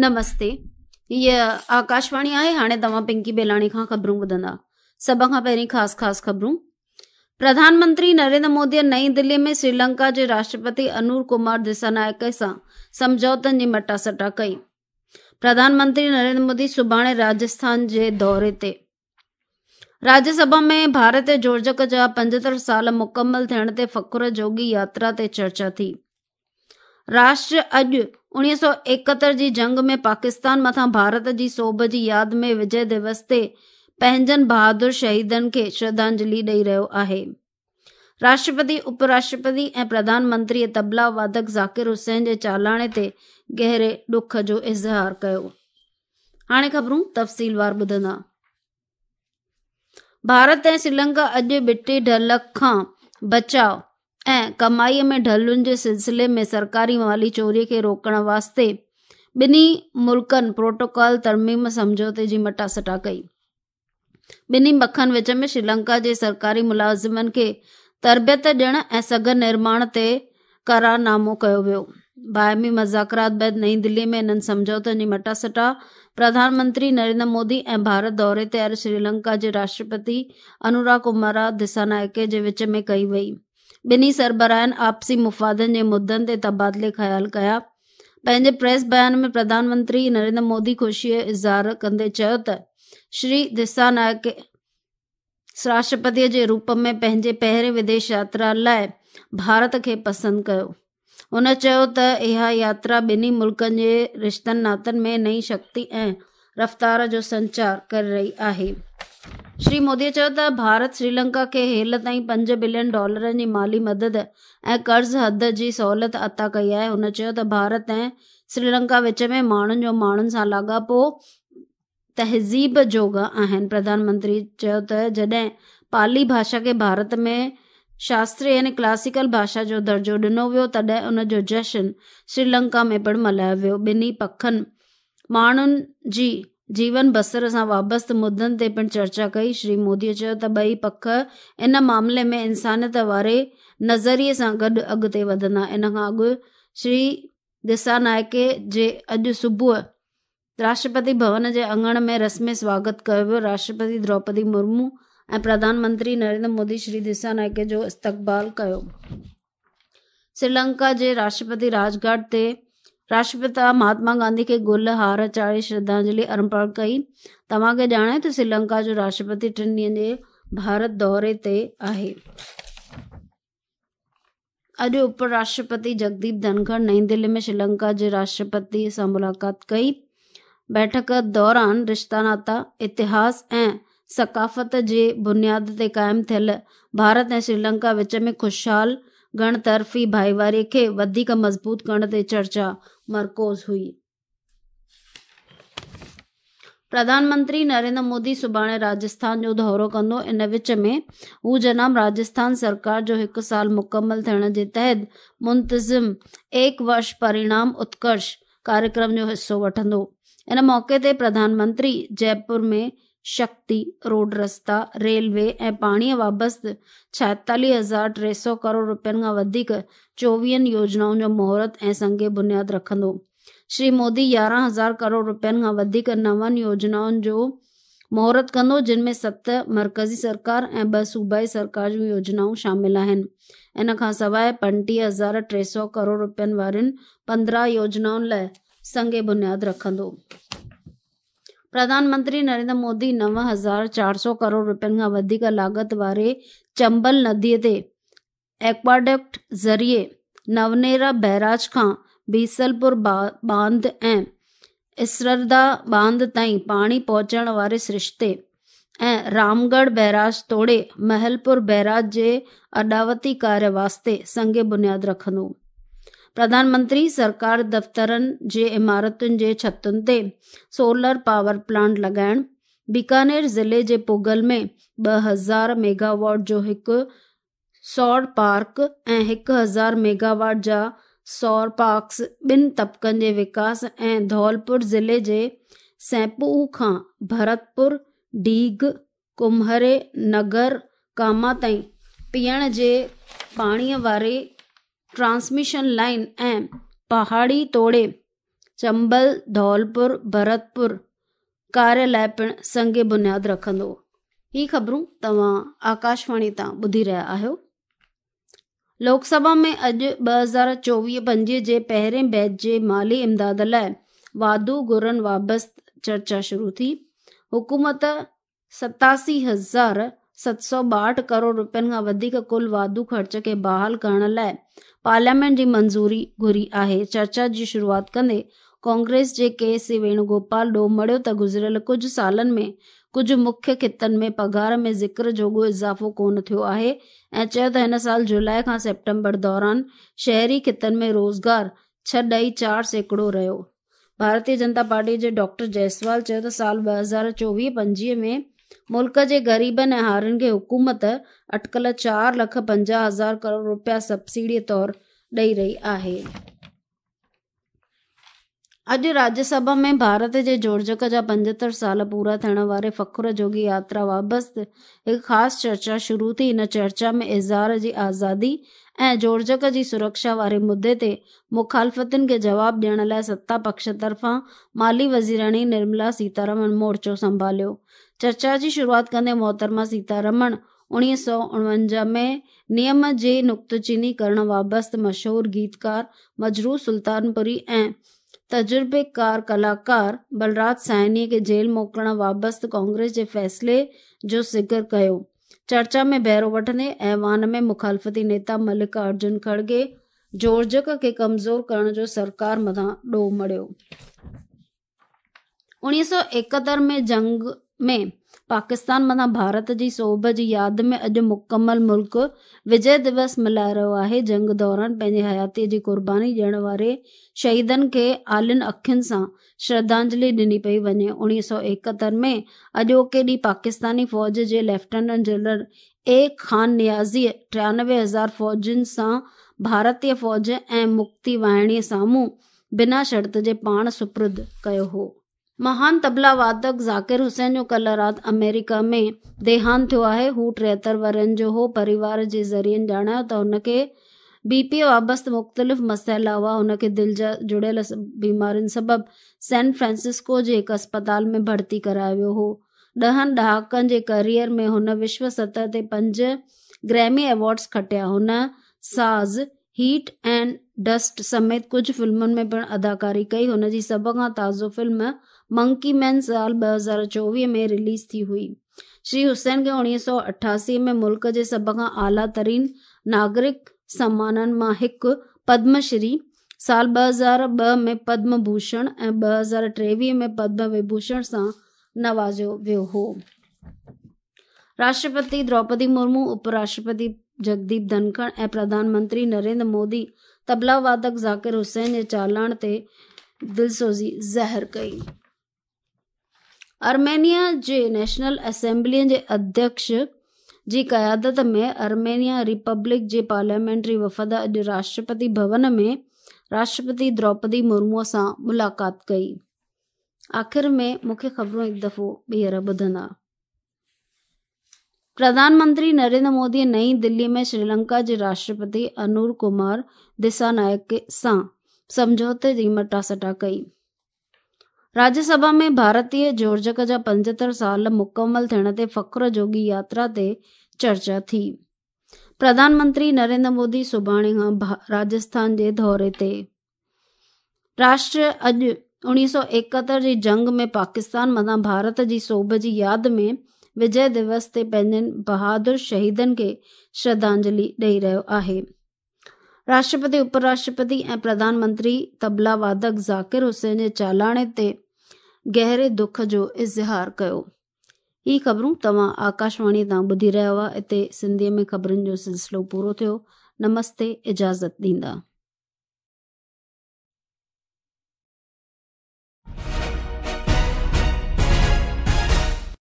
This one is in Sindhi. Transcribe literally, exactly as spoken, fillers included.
نمستي، هيء آڪاشواڻي آهي. هاڻي توهان پنڪي بيلاڻي کان خبرون ٻڌندا. سڀ کان پهرين خاص خاص خبرون. پرڌان منتري نريندر مودي نئين دلي ۾ سريلنڪا جي راشٽرپتي انور ڪمار دسانائڪي سان سمجهوتن جي مٽاسٽا ڪئي. پرڌان منتري نريندر مودي سڀاڻي راجسٿان جي دوري تي. راجيه سڀا ۾ ڀارت جوڙجڪ جا پنجهتر سال مڪمل ٿيڻ تي فخر جوڳي ياترا تي چرچا ٿي. راشٽر اڄ اڻويهه سؤ ايڪهتر جي جنگ ۾ پاڪستان مٿان ڀارت جي سوڀ جي ياد ۾ وجي دوس تي پنهنجن بهادر شهيدن کي شرڌانجلي ڏئي رهيو آهي. راشٽرپتي، اپ راشٽرپتي ۽ پرڌان منتري طبلا وادڪ ذاڪر حسين جي چالاڻي تي گهري ڏک جو اظهار ڪيو. هاڻي خبرون تفصيلوار ٻڌندا. ڀارت ۽ سريلنڪا اڄ ٻٽي ڍل کان بچاء ۽ ڪمائي ۾ ڍلن جي سلسلي ۾ سرڪاري مالي چوري کي روڪڻ واسطي ٻنهي ملڪن پروٽوڪول ترميم سمجهوتي جي مٽاسٽا ڪئي. ٻنهي مکن وچ ۾ سريلنڪا جي سرڪاري ملازمن کي تربيت ڏيڻ ۽ سگهه نرماڻ تي قرارنامو ڪيو ويو. باهمي مذاڪرات بعد نئين دلي ۾ انهن سمجهوتن جي مٽاسٽا پرڌان منتري نريندر مودي ۽ ڀارت دوري تي آيل سريلنڪا جي راشٽرپتي انورا ڪمارا دسانائڪي جي وچ ۾ ڪئي وئي. ٻنهي سربراهن آپسي مفادن جي مدن تي تبادلي خيال ڪيا. پنهنجي پريس بيان ۾ پرڌان منتري نريندر مودي خوشي جو اظهار ڪندي چيو ته شري دسانائڪي راشٽرپتي جي روپ ۾ پنهنجي پهرين وديش ياترا لاء ڀارت کي پسند ڪيو. هن چيو ته اها ياترا ٻنهي ملڪن جي رشتن ناتن ۾ نئين شڪتي ۽ رفتار جو سنچار ڪري رهي آهي. شري مودي چيو ته ڀارت سريلنڪا کي هيل تائين پنج بلين ڊالرن جي مالي مدد ۽ قرض حد جي سهولت عطا ڪئي آهي. هن چيو ته ڀارت ۽ سريلنڪا وچ ۾ ماڻهن جو ماڻهن سان لاڳاپو تهذيب جوڳا آهن. پرڌان منتري چيو ته جڏهن پالي ڀاشا کي ڀارت ۾ شاستريه يعني ڪلاسيڪل ڀاشا جو درجو ڏنو ويو تڏهن ان جو جشن سريلنڪا ۾ پڻ ملهايو ويو. ٻنهي پکن ماڻهن جي جيون بسر سان وابسته مدن تي پڻ چرچا ڪئي. شري مودي چيو ته ٻئي پک ان معاملي ۾ انسانيت واري نظريي سان گڏ اڳتي وڌندا. ان کان اڳ شري دسانائڪي جي اڄ صبح راشٽرپتي ڀون جي اڱڻ ۾ رسمي سواگت ڪيو ويو. راشٽرپتي دروپدي مرمو ۽ پرڌان منتري نريندر مودي شري دسانائڪي جو استقبال ڪيو. سريلنڪا جي راشٽرپتي راجگهاٽ تي راشٽرپتا مهاتما گانڌي کي گل هار چاڙهي شرڌانجلي ارپڻ ڪئي. توهان کي ڄاڻايو ته سريلنڪا جو راشٽرپتي ٽن ڏينهن جي ڀارت دوري تي آهي. اڄ اپ راشٽرپتي جگديپ ڌنکڙ نئين دلي ۾ سريلنڪا جي راشٽرپتي سان ملاقات ڪئي. بيٺڪ دوران رشتا ناتا، اتهاس ۽ ثقافت جي بنياد تي قائم ٿيل ڀارت ۽ سريلنڪا وچ ۾ خوشحال گهڻ طرفي ڀائيواري کي وڌيڪ مضبوط ڪرڻ تي چرچا مرڪوز هئي. پرڌان منتري نريندر مودي سڀاڻي راجسٿان جو دورو ڪندو. ان وچ ۾ هو جناب راجسٿان سرڪار جو هڪ سال مڪمل ٿيڻ جي تحت منتظم ايڪ ورش پرڻام اتڪرش ڪاريڪرم جو حصو وٺندو. ان موقعي تي پرڌان منتري جئپور ۾ شڪتي، روڊ رستا، ريلوي ۽ پاڻيءَ وابسته ڇائيتاليهه هزار ٽي سؤ ڪروڙ رپين کان وڌيڪ چوويهن يوجنائن جو مهورت ۽ سنگ بنياد رکندو. شري مودي يارهن هزار ڪروڙ رپين کان وڌيڪ نون يوجنائن جو مهورت ڪندو، جن ۾ ست مرڪزي سرڪار ۽ ٻه صوبائي سرڪار جون يوجنائون شامل آهن. ان کان سواءِ پنٽيهه هزار ٽي سؤ ڪروڙ رپين وارين پندرهن يوجنائن لاءِ سنگ بنياد رکندو. پرڌان منتري نريندر مودي نو هزار چار سؤ ڪروڙ رپين کان وڌيڪ لاڳت واري چمبل نديءَ تي ايڪواڊڪٽ ذريعي نونيرا بيراج کان بيسلپور باند ۽ اسردا باند تائين پاڻي پهچائڻ واري سرشتي ۽ رامڳڙهه بيراج توڙي محلپور بيراج جي اڏاوتي ڪاريه واسطي سنگ بنياد رکندو. پرڌان منتري سرڪار دفترن جي عمارتن جي ڇتن تي سولر پاور پلانٽ لڳائڻ، بيڪانير ضلعي جي پگل ۾ ٻه هزار ميگاواٽ جو هڪ سور پارڪ ۽ هڪ هزار ميگاواٽ جا سور پارڪس ٻن طبقن جي وڪاس ۽ ڌولپور ضلعي جي سينپو کان ڀرتپور، ڊيگهه، ڪمهري، نگر ڪاما تائين پيئڻ جي پاڻيءَ واري ٽرانسميشن لائن ۽ پهاڙي توڙي چمبل ڌولپور ڀرتپور ڪاري لاءِ پڻ سنگ بنياد رکندو. هي خبرون توهان آڪاشواڻي تان ٻڌي رهيا آهيو. لوڪ سڀا ۾ اڄ ٻه هزار چوويهه پنجويهه جي پهرين بيچ جي مالي امداد لاءِ واڌو گهرن وابسته چرچا شروع ٿي. حڪومت ستاسي هزار ست سؤ ٻاهٺ ڪروڙ رپين کان وڌيڪ ڪل واڌو خرچ کي بحال ڪرڻ لاءِ پارليامينٽ جي منظوري گهري آهي. چرچا جي شروعات ڪندي ڪانگريس جي ڪي سي ويڻوگوپال ڏوهه مڙهيو ته گذريل ڪجهه سالن ۾ ڪجهه مکيه خطن ۾ پگهار ۾ ذڪر جوڳو اضافو ڪونه ٿيو آهي ۽ چيو ته هن سال جولاءِ کان سيپٽمبر دوران شهري خطن ۾ روزگار ڇهه ڏهي چار سيڪڙو رهيو. ڀارتيه جنتا پارٽي جي ڊاڪٽر جئسوال چيو ته سال ٻه هزار چوويهه پنجويهه ۾ ملڪ جي غريبن ۽ هارين کي حڪومت اٽڪل چار لک پنجاهه هزار ڪروڙ رپيا سبسڊي طور ڏئي رهي آهي. اڄ راجيه سڀا ۾ ڀارت جي جوڙجڪ جا پنجهتر سال پورا ٿيڻ واري فخر جوڳي ياترا وابسته هڪ خاص چرچا شروع ٿي. هن چرچا ۾ اظهار جي آزادي ۽ جوڙجڪ جي سرڪشا واري مدعي تي مخالفتن کي جواب ڏيڻ لاءِ ستا پڪش طرفان مالي وزيراڻي نرملا سيتارمن مورچو سنڀاليو. چرچا جي شروعات ڪندي محترمه سيتارمن اڻويهه سؤ اڻونجاهه ۾ نيم جي نقطچيني ڪرڻ وابسته مشهور گيتڪار مجروح سلطانپوري ۽ تجربيڪار ڪلاڪار بلراج ساهني کي جيل موڪلڻ وابسته ڪانگريس جي فيصلي جو ذڪر ڪيو. چرچا ۾ بهرو وٺندي ايوان ۾ مخالفتي نيتا ملڪا ارجن کڙگي جوڙجڪ کي ڪمزور ڪرڻ جو سرڪار مٿان ڏوهه مڙهيو. اڻويهه سؤ ايڪهتر ۾ جنگ ۾ پاڪستان مٿان ڀارت جي سوڀ جي ياد ۾ اڄ مڪمل ملڪ وجي دوس ملهائي رهيو آهي. جنگ دوران پنهنجي حياتيءَ جي قرباني ڏيڻ واري شهيدن کي آلين اکين سان شرڌانجلي ڏني پئي وڃي. اڻويهه سؤ ايڪهتر ۾ اڄوڪي ڏينهن پاڪستاني فوج جي ليفٽيننٽ جنرل اي خان نيازيءَ ٽيانوي هزار فوجين سان ڀارتيه فوج ۽ مڪتي واهڻيءَ سامهون بنا شرط جي پاڻ سپرد ڪيو هو. مهان طبلا وادڪ ذاڪر حسين جو ڪلهه رات آمريڪا ۾ ديهانت ٿيو آهي. هو ٽيهتر ورهين جو هو. پريوار جي ذريعن ڄاڻايو ته هن کي بي پي وابسته مختلف مسئلا هئا. هن کي دل جا جڙيل بيمارين سبب سين فرانسسڪو جي هڪ اسپتال ۾ ڀرتي ڪرايو ويو هو. ڏهن ڏهاڪن جي ڪيريئر ۾ هن وشو سطح تي پنج گريمي ايوارڊز کٽيا. هن ساز، هيٽ اينڊ ڊسٽ سميت ڪجهه فلمن ۾ پڻ اداڪاري ڪئي. هن جي سڀ کان تازو فلم منڪي مين سال ٻه هزار چوويهه ۾ رليز ٿي هئي. شري حسين کي اڻويهه سؤ اٺاسي ۾ ملڪ جي سڀ کان اعليٰ ترين ناگرڪ سمانن مان هڪ پدم شري، سال ٻه هزار ٻه ۾ پدم ڀوشڻ ۽ ٻه هزار ٽيويهه ۾ پدم وڀوشڻ سان نوازيو ويو هو. راشٽرپتي دروپدي مرمو، اپ راشٽرپتي جگديپ ڌنکڙ ۽ پرڌان منتري نريندر مودي طبلا وادڪ ذاڪر حسين جي چالان تي دلسوزي ظاهر ڪئي. آرمينيا جي نيشنل اسيمبليءَ جي اڌيڪش جي قيادت ۾ آرمينيا ريپبلڪ جي پارليامينٽري وفد اڄ راشٽرپتي ڀون ۾ راشٽرپتي دروپدي مرموءَ سان ملاقات ڪئي. آخر ۾ مکيه خبرون هڪ دفعو ٻيهر ٻڌندا. پرڌان منتري نريندر مودي نئين دلي ۾ شريلنڪا جي راشٽرپتي انور ڪمار دسانائڪ سان سمجهوتي جي مٽاسٽا ڪئي. راجيه سڀا ۾ ڀارتيه جوڙجڪ جا پنجهتر سال مڪمل ٿيڻ تي فخر جوڳي ياترا تي چرچا ٿي. پرڌان منتري نريندر مودي سڀاڻي کان راجسٿان جي دوري تي. راشٽر اڄ اڻويهه سؤ ايڪهتر جي جنگ ۾ پاڪستان مٿان ڀارت جي سوڀ جي ياد ۾ وجي دوس تي پنهنجن بهادر شهيدن کي شرڌانجلي ڏئي رهيو آهي. راشٽرپتي، اپ راشٽرپتي ۽ پرڌان منتري طبلا وادڪ ذاڪر حسين جي چالاڻي تي گهري دک جو اظهار ڪيو. هي خبرون توهان آڪاشواڻي تان ٻڌي رهيا هئا. هتي سنڌيءَ ۾ خبرن جو سلسلو پورو ٿيو. نمستي، اجازت ڏيندا.